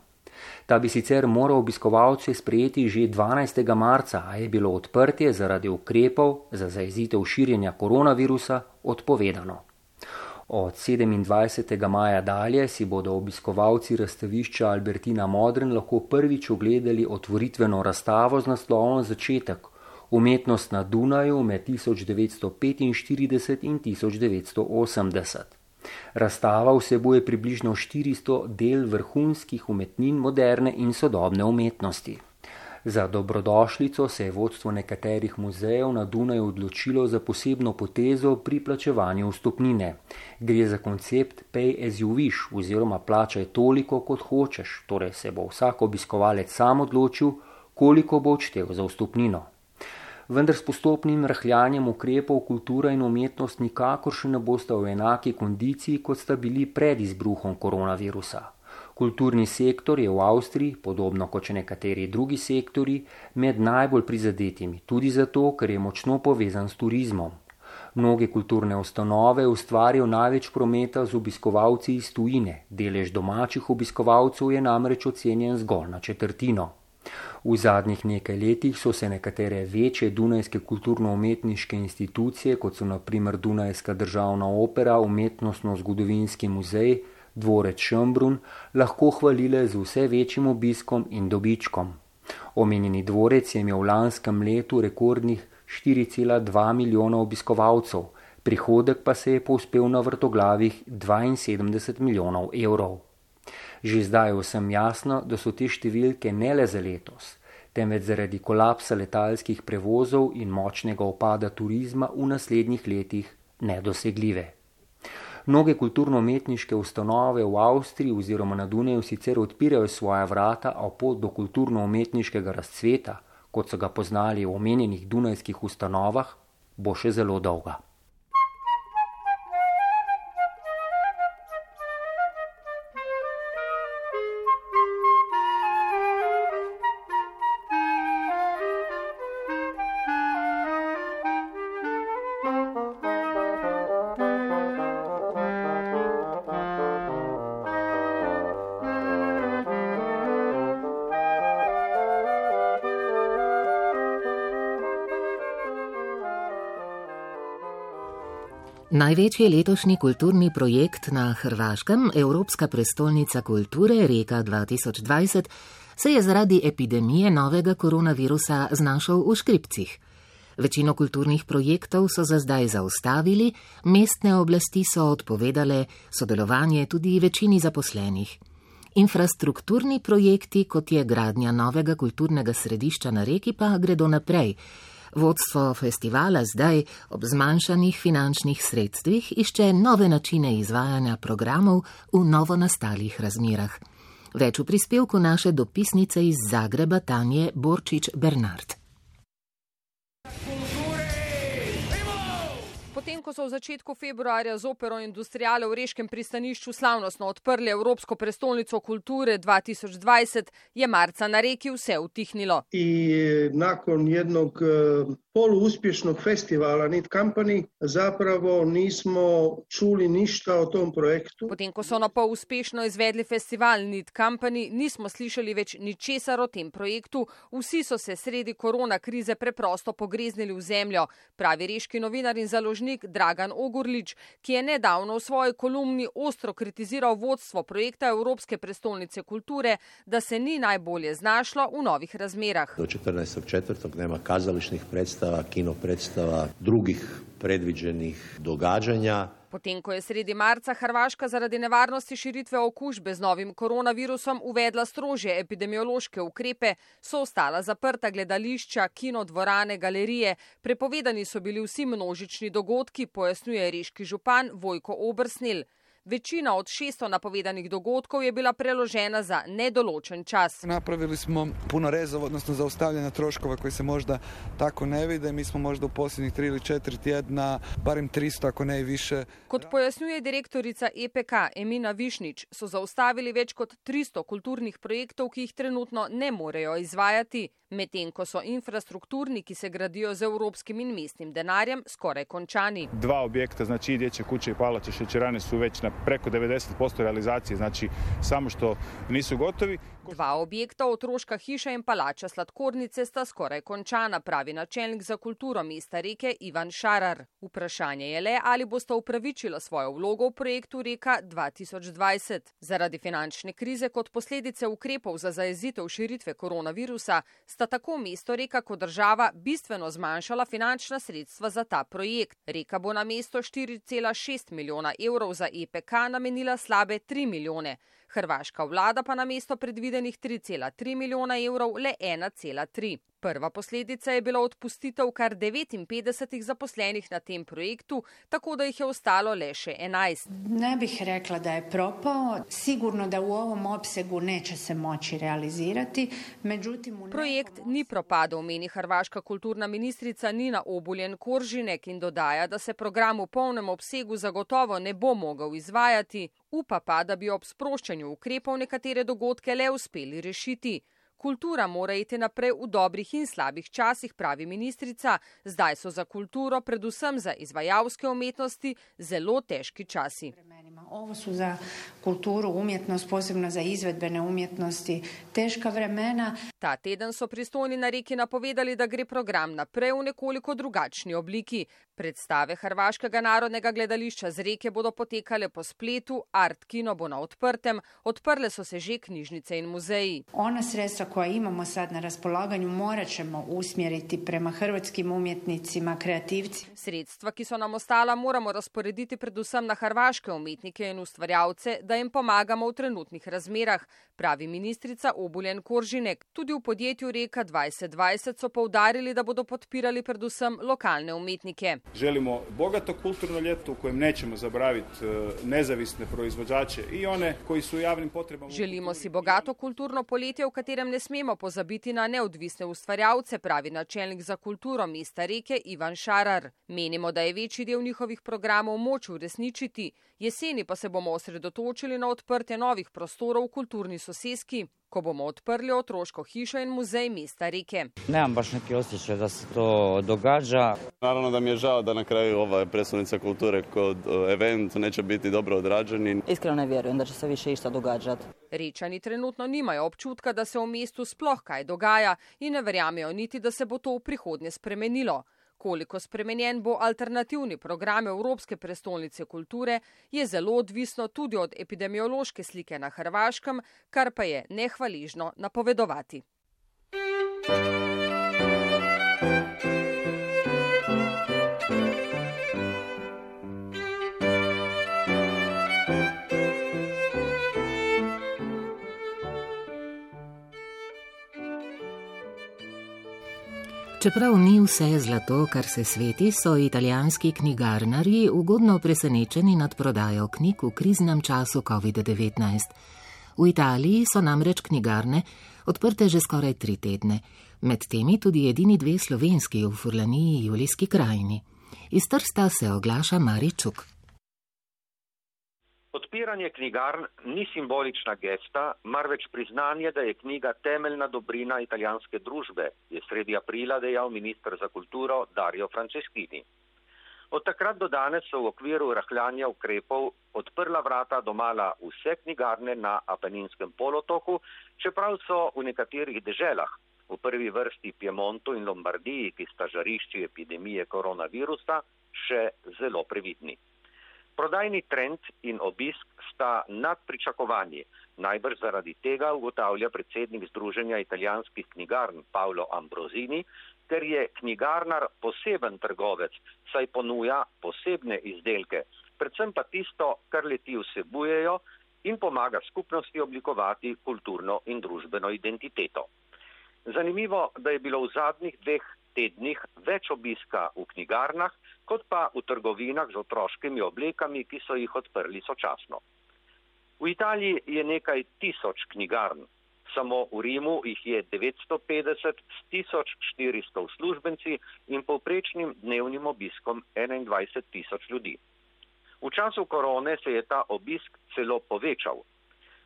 Ta bi sicer moral obiskovalce sprejeti že 12. marca, a je bilo odprtje zaradi ukrepov za zajezitev širjenja koronavirusa odpovedano. Od 27. maja dalje si bodo obiskovalci razstavišča Albertina Modern lahko prvič ogledali otvoritveno razstavo z naslovom Začetek, umetnost na Dunaju med 1945 in 1980. Razstava vsebuje približno 400 del vrhunskih umetnin moderne in sodobne umetnosti. Za dobrodošlico se je vodstvo nekaterih muzejev na Dunaju odločilo za posebno potezo pri plačevanju vstopnine. Gre za koncept pay as you wish oziroma plačaj toliko, kot hočeš, torej se bo vsak obiskovalec sam odločil, koliko bo odštel za vstopnino. Vendar s postopnim rahljanjem ukrepov kultura in umetnost nikakor še ne bosta v enaki kondiciji, kot sta bili pred izbruhom koronavirusa. Kulturni sektor je v Avstriji, podobno kot še nekateri drugi sektori, med najbolj prizadetimi, tudi zato, ker je močno povezan s turizmom. Mnoge kulturne ustanove ustvarijo največ prometa z obiskovalci iz tujine, delež domačih obiskovalcev je namreč ocenjen zgolj na četrtino. V zadnjih nekaj letih so se nekatere večje dunajske kulturno-umetniške institucije, kot so na primer Dunajska državna opera, umetnostno-zgodovinski muzej, dvorec Schönbrunn, lahko hvalile z vse večjim obiskom in dobičkom. Omenjeni dvorec je imel v lanskem letu rekordnih 4,2 milijona obiskovalcev, prihodek pa se je povzpel na vrtoglavih 72 milijonov evrov. Že zdaj je vsem jasno, da so te številke ne le za letos, temveč zaradi kolapsa letalskih prevozov in močnega upada turizma v naslednjih letih nedosegljive. Mnoge kulturno-umetniške ustanove v Avstriji oziroma na Dunaju sicer odpirajo svoja vrata, a pot do kulturno-umetniškega razcveta, kot so ga poznali v omenjenih dunajskih ustanovah, bo še zelo dolga. Največji letošnji kulturni projekt na Hrvaškem, Evropska prestolnica kulture Reka 2020, se je zaradi epidemije novega koronavirusa znašel v škripcih. Večino kulturnih projektov so za zdaj zaustavili, mestne oblasti so odpovedale sodelovanje tudi večini zaposlenih. Infrastrukturni projekti, kot je gradnja novega kulturnega središča na Reki, pa gredo naprej. Vodstvo festivala zdaj ob zmanjšanih finančnih sredstvih išče nove načine izvajanja programov v novonastalih razmerah. Več v prispevku naše dopisnice iz Zagreba Tanje Borčič-Bernard. Potem, ko so v začetku februarja z Opero Industriale v Reškem pristanišču slavnostno odprli Evropsko prestolnico kulture 2020, je marca na Reki vse utihnilo. I nakon jednog poluuspješnog festivala Need Company zapravo nismo čuli ništa o tom projektu. Potem, ko so na pol uspešno izvedli festival Need Company, nismo slišali več ničesar o tem projektu. Vsi so se sredi korona krize preprosto pogreznili v zemljo, pravi reški novinar in založnik Dragan Ogorlič, ki je nedavno v svoji kolumni ostro kritiziral vodstvo projekta Evropske prestolnice kulture, da se ni najbolje znašlo v novih razmerah. Do 14.4. nema kazališnih predstava, kino predstava, drugih predviđenih događanja. Potem, ko je sredi marca Hrvaška zaradi nevarnosti širitve okužbe z novim koronavirusom uvedla strožje epidemiološke ukrepe, so ostala zaprta gledališča, kino, dvorane, galerije. Prepovedani so bili vsi množični dogodki, pojasnjuje reški župan Vojko Obersnel. Večina od 600 napovedanih dogodkov je bila preložena za nedoločen čas. Napravili smo puno rezova, odnosno zaustavljanja troškova koji se možda tako ne vide. Mi smo možda u posljednjih 3 ili 4 tjedna, barem 300 ako ne i više. Kot pojasnjuje direktorica EPK Emina Višnič, so zaustavili več kot 300 kulturnih projektov, ki jih trenutno ne morejo izvajati, medtem ko so infrastrukturni, ki se gradijo z evropskim in mestnim denarjem, skoraj končani. 2 objekta, znači i dječje kuće i palače šećerane su već na preko 90% realizacije, znači samo što nisu gotovi. 2 objekta, otroška hiša in palača sladkornice, sta skoraj končana, pravi načelnik za kulturo mesta Reke Ivan Šarar. Vprašanje je le, ali bosta upravičila svojo vlogo v projektu Reka 2020. Zaradi finančne krize kot posledice ukrepov za zajezitev širitve koronavirusa sta tako mesto Reka kot država bistveno zmanjšala finančna sredstva za ta projekt. Reka bo na mesto 4,6 milijona evrov za EPK namenila slabe 3 milijone. Hrvaška vlada pa na mesto predvidenih 3,3 milijona evrov le 1,3. Prva posledica je bila odpustitev kar 59 zaposlenih na tem projektu, tako da jih je ostalo le še 11. Ne bih rekla da je propao, sigurno da u ovom opsegu neće se moći realizirati. Međutim, projekt ni propadel, meni hrvaška kulturna ministrica Nina Obuljen-Koržinek in dodaja, da se program v polnem obsegu zagotovo ne bo mogel izvajati, upa pa, da bi ob sproščanju ukrepov nekatere dogodke le uspeli rešiti. Kultura mora iti naprej v dobrih in slabih časih, pravi ministrica. Zdaj so za kulturo, predvsem za izvajalske umetnosti, zelo težki časi. Ovo su za kulturu, umjetnost, posebno za izvedbene umjetnosti, teška vremena. Ta teden so pristojni na Reki napovedali, da gre program naprej v nekoliko drugačni obliki. Predstave Hrvaškega narodnega gledališča z Reke bodo potekale po spletu, Art Kino bo na odprtem, odprle so se že knjižnice in muzeji. Ona sredstva koja imamo sad na raspolaganju morat ćemo usmjeriti prema hrvatskim umjetnicima, kreativcima. Sredstva, ki so nam ostala, moramo razporediti predvsem na hrvaške umetnike in ustvarjalce, da jim pomagamo v trenutnih razmerah, pravi ministrica Obuljen-Koržinek. Tudi v podjetju Reka 2020 so poudarili, da bodo podpirali predvsem lokalne umetnike. Želimo bogato kulturno ljeto u kojem nećemo zaboraviti nezavisne proizvođače i one koji su u javnim potrebama. Želimo si bogato kulturno poletje, v katerem ne smemo pozabiti na neodvisne ustvarjalce, pravi načelnik za kulturo mesta Reke Ivan Šarar. Menimo, da je večji del njihovih programov moč uresničiti, jeseni pa se bomo osredotočili na odprtje novih prostorov v kulturni soseski, ko bomo odprli otroško hišo in muzej mesta Reke. Nemam baš neki osjećaj da se to događa. Naravno da mi je žao da na kraju ova prestolnica kulture kod event neće biti dobro odrađeni. Iskreno ne vjerujem da će se više išta događati. Rečani trenutno nimajo občutka, da se v mestu sploh kaj dogaja in ne verjamejo niti, da se bo to v prihodnje spremenilo. Koliko spremenjen bo alternativni program Evropske prestolnice kulture, je zelo odvisno tudi od epidemiološke slike na Hrvaškem, kar pa je nehvaležno napovedovati. Čeprav ni vse zlato, kar se sveti, so italijanski knjigarnarji ugodno presenečeni nad prodajo knjig v kriznem času COVID-19. V Italiji so namreč knjigarne odprte že skoraj 3 tedne, med temi tudi edini 2 slovenski v Furlaniji Julijski krajini. Iz Trsta se oglaša Mari Čuk. Odpiranje knjigarn ni simbolična gesta, marveč priznanje, da je knjiga temeljna dobrina italijanske družbe, je sredi aprila dejal minister za kulturo Dario Franceschini. Od takrat do danes so v okviru rahljanja ukrepov odprla vrata domala vse knjigarne na Apeninskem polotoku, čeprav so v nekaterih deželah, v prvi vrsti Piemontu in Lombardiji, ki sta žarišči epidemije koronavirusa, še zelo previdni. Prodajni trend in obisk sta nad pričakovanji. Najbrž zaradi tega ugotavlja predsednik Združenja italijanskih knjigarn Paolo Ambrosini, ker je knjigarnar poseben trgovec, saj ponuja posebne izdelke, predvsem pa tisto, kar le-ti vsebujejo in pomaga skupnosti oblikovati kulturno in družbeno identiteto. Zanimivo, da je bilo v zadnjih 2 tednih več obiska v knjigarnah, kot pa v trgovinah z otroškimi oblekami, ki so jih odprli sočasno. V Italiji je nekaj tisoč knjigarn. Samo v Rimu jih je 950 s 1400 uslužbenci in povprečnim dnevnim obiskom 21.000 ljudi. V času korone se je ta obisk celo povečal.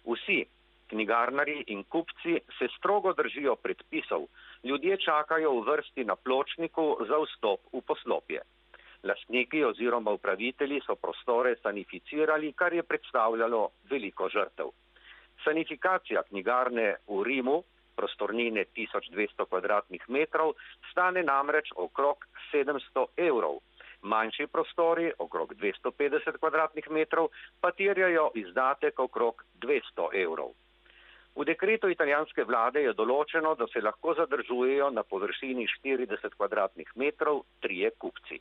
Vsi, knjigarnarji in kupci, se strogo držijo predpisov. Ljudje čakajo v vrsti na pločniku za vstop v poslopje. Lastniki oziroma upravitelji so prostore sanificirali, kar je predstavljalo veliko žrtev. Sanifikacija knjigarne v Rimu, prostornine 1200 kvadratnih metrov, stane namreč okrog 700 evrov. Manjši prostori, okrog 250 kvadratnih metrov, pa terjajo izdatek okrog 200 evrov. V dekretu italijanske vlade je določeno, da se lahko zadržujejo na površini 40 kvadratnih metrov 3 kupci.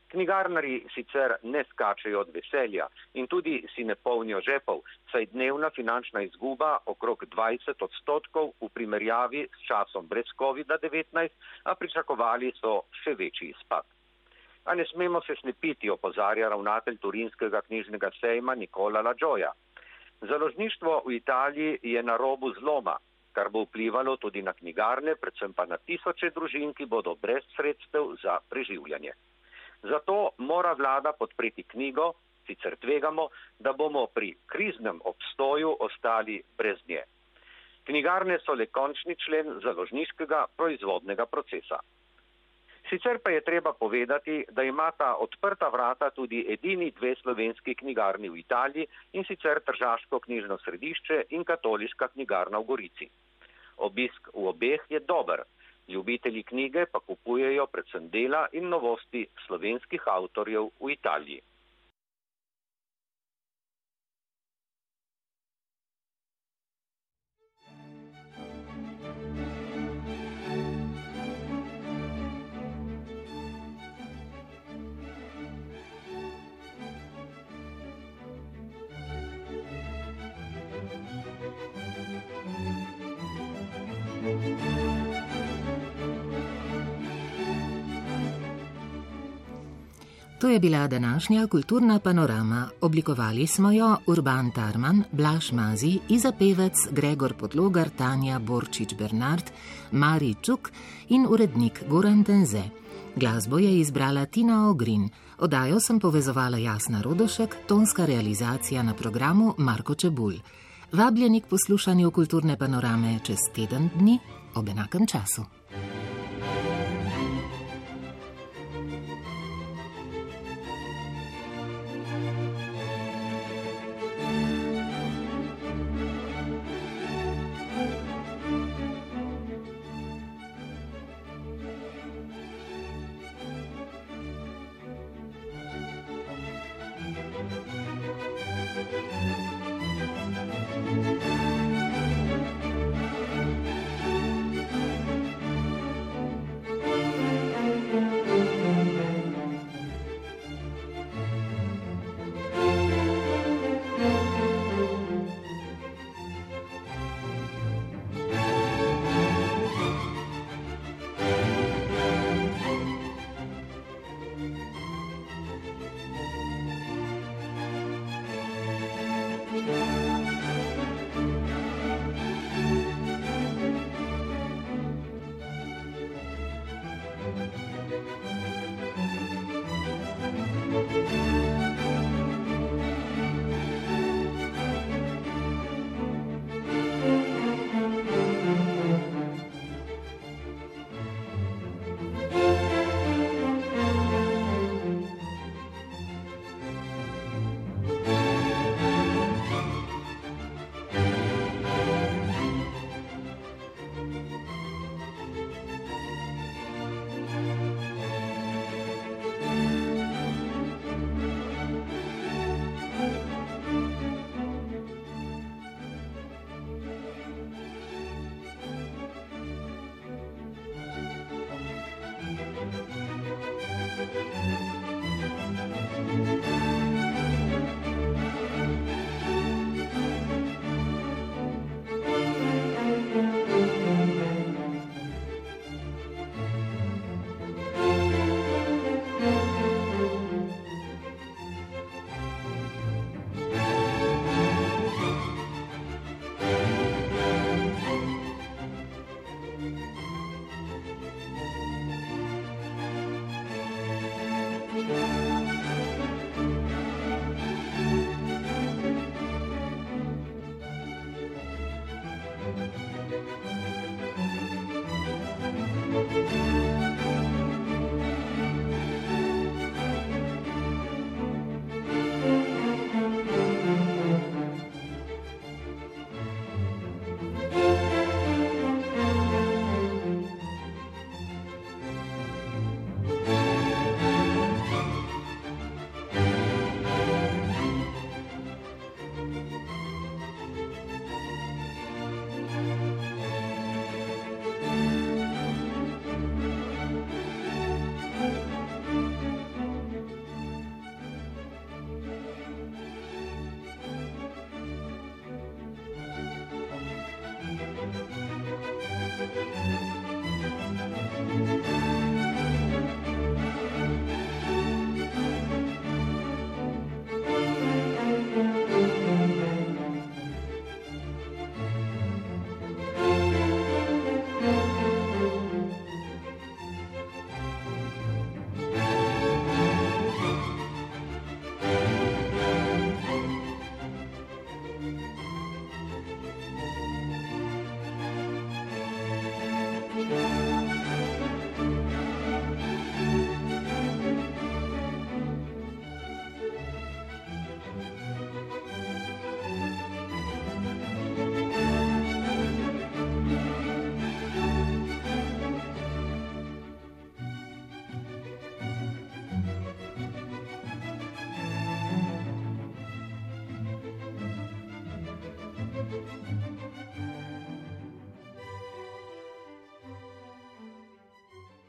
Knjigarnarji sicer ne skačejo od veselja in tudi si ne polnijo žepov, saj dnevna finančna izguba okrog 20% v primerjavi s časom brez COVID-19, a pričakovali so še večji izpad. A ne smemo se slepiti, opozarja ravnatelj Turinskega knjižnega sejma Nicola La Gioia. Založništvo v Italiji je na robu zloma, kar bo vplivalo tudi na knjigarne, predvsem pa na tisoče družin, ki bodo brez sredstev za preživljanje. Zato mora vlada podpreti knjigo, sicer tvegamo, da bomo pri kriznem obstoju ostali brez nje. Knjigarne so le končni člen založniškega proizvodnega procesa. Sicer pa je treba povedati, da imata odprta vrata tudi edini 2 slovenski knjigarni v Italiji, in sicer Tržaško knjižno središče in Katoliška knjigarna v Gorici. Obisk v obeh je dober, ljubitelji knjige pa kupujejo predvsem dela in novosti slovenskih avtorjev v Italiji. To je bila današnja kulturna panorama. Oblikovali smo jo Urban Tarman, Blaž Mazi, Iza Pevec, Gregor Podlogar, Tanja Borčič-Bernard, Mari Čuk in urednik Goran Tenze. Glasbo je izbrala Tina Ogrin. Oddajo sem povezovala Jasna Rodošek, tonska realizacija na programu Marko Čebulj. Vabljeni k poslušanju kulturne panorame čez teden dni ob enakem času.